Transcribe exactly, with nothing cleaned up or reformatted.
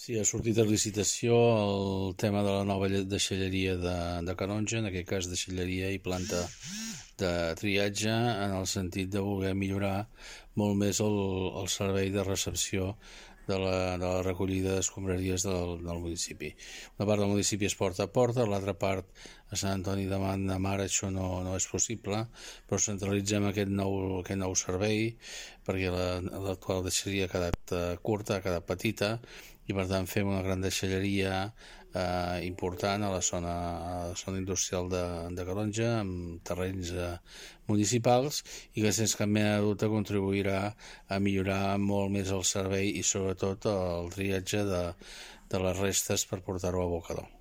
Sí, ha sortit a licitació el tema de la nova deixalleria de, de Canonja, en aquest cas deixalleria i planta de triatge, en el sentit de voler millorar molt més el, el servei de recepció de la, de la recollida d'escombraries del, del municipi. Una part del municipi és porta a porta, l'altra part a Sant Antoni de Mar això no, no és possible, però centralitzem aquest nou, aquest nou servei perquè l'actual deixalleria ha quedat eh, curta, ha quedat petita, i per tant fem una gran deixalleria eh, important a la zona, a la zona industrial de, de Calonja, amb terrenys eh, municipals, i que sense cap mena de dubte contribuirà a millorar molt més el servei i sobretot el triatge de, de les restes per portar-ho a abocador.